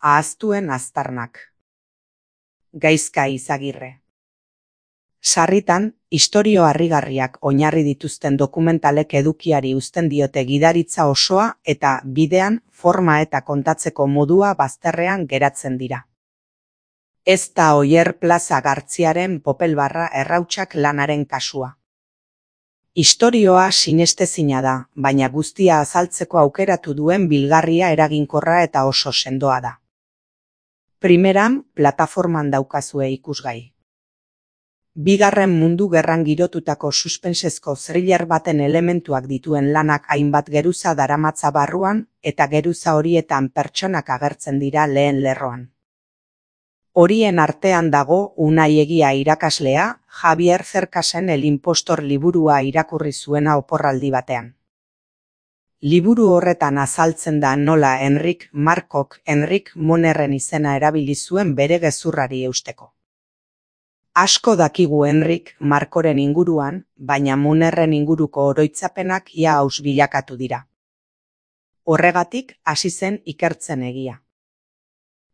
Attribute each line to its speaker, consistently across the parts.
Speaker 1: Ahaztuen aztarnak. Gaizka Izagirre. Sarritan, istorio harrigarriak oinarri dituzten dokumentalek edukiari uzten diote gidaritza osoa eta bidean forma eta kontatzeko modua bazterrean geratzen dira. Ez da Oyer Plaza Gartziaren popelbarra errautsak lanaren kasua. Istorioa sinestezina da, baina guztia azaltzeko aukeratu duen bilgarria eraginkorra eta oso sendoa da. Primeran, plataforman daukazue ikusgai. Bigarren Mundu Gerran girotutako suspensezko thriller baten elementuak dituen lanak hainbat geruza daramatza barruan eta geruza horietan pertsonak agertzen dira lehen lerroan. Horien artean dago Unai Egia irakaslea, Javier Cercasen El Impostor liburua irakurri zuena oporraldi batean. Liburu horretan azaltzen da nola Enric Markok Enric Monerren izena erabili zuen bere gezurrari eusteko. Asko dakigu Enric Markoren inguruan, baina Monerren inguruko oroitzapenak ia aus bilakatu dira. Horregatik hasi zen ikertzen Egia.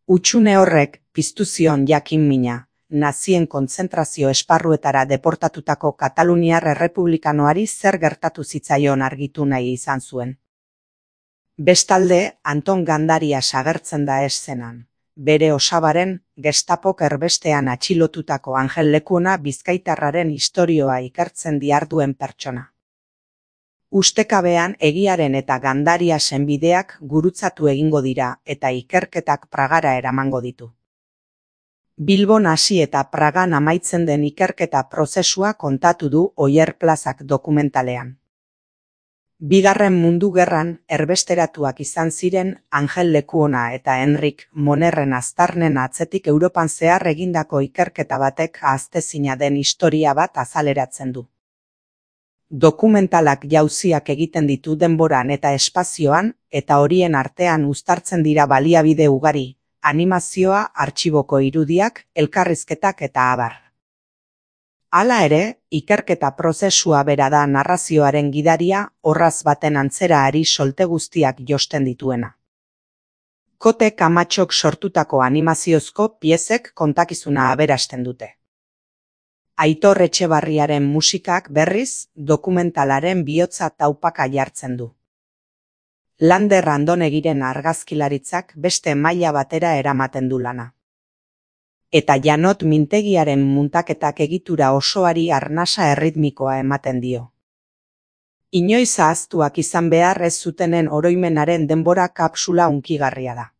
Speaker 1: Hutsune horrek piztu zion jakin-mina, nazien kontzentrazio esparruetara deportatutako kataluniar errepublikanoari zer gertatu zitzaion argitu nahi izan zuen. Bestalde, Anton Gandarias agertzen da eszenan, bere osabaren Gestapok erbestean atxilotutako Angel Lekuona bizkaitarraren istorioa ikertzen diharduen pertsona. Ustekabean Egiaren eta Gandariasen bideak gurutzatu egingo dira eta ikerketak Pragara eramango ditu. Bilbon hasi eta Pragan amaitzen den ikerketa prozesua kontatu du Oyer Plazak dokumentalean. Bigarren Mundu Gerran erbesteratuak izan ziren Angel Lekuona eta Enric Monerren aztarnen atzetik Europan zehar egindako ikerketa batek ahaztezina den historia bat azaleratzen du. Dokumentalak jauziak egiten ditu denboran eta espazioan, eta horien artean uztartzen dira baliabide ugari, animazioa, artxiboko irudiak, elkarrizketak eta abar. Hala ere, ikerketa prozesua bera da narrazioaren gidaria orraz baten antzera ari solte guztiak josten dituena. Kote Kamatxok sortutako animaziozko piezek kontakizuna aberasten dute. Aitor Etxebarriaren musikak berriz dokumentalaren bihotza taupaka jartzen du. Lander Andonegiren argazkilaritzak beste maila batera eramaten du lana. Eta Janot Mintegiaren muntaketak egitura osoari arnasa erritmikoa ematen dio. Inoiz ahaztuak izan behar ez zutenen oroimenaren denbora kapsula hunkigarria da.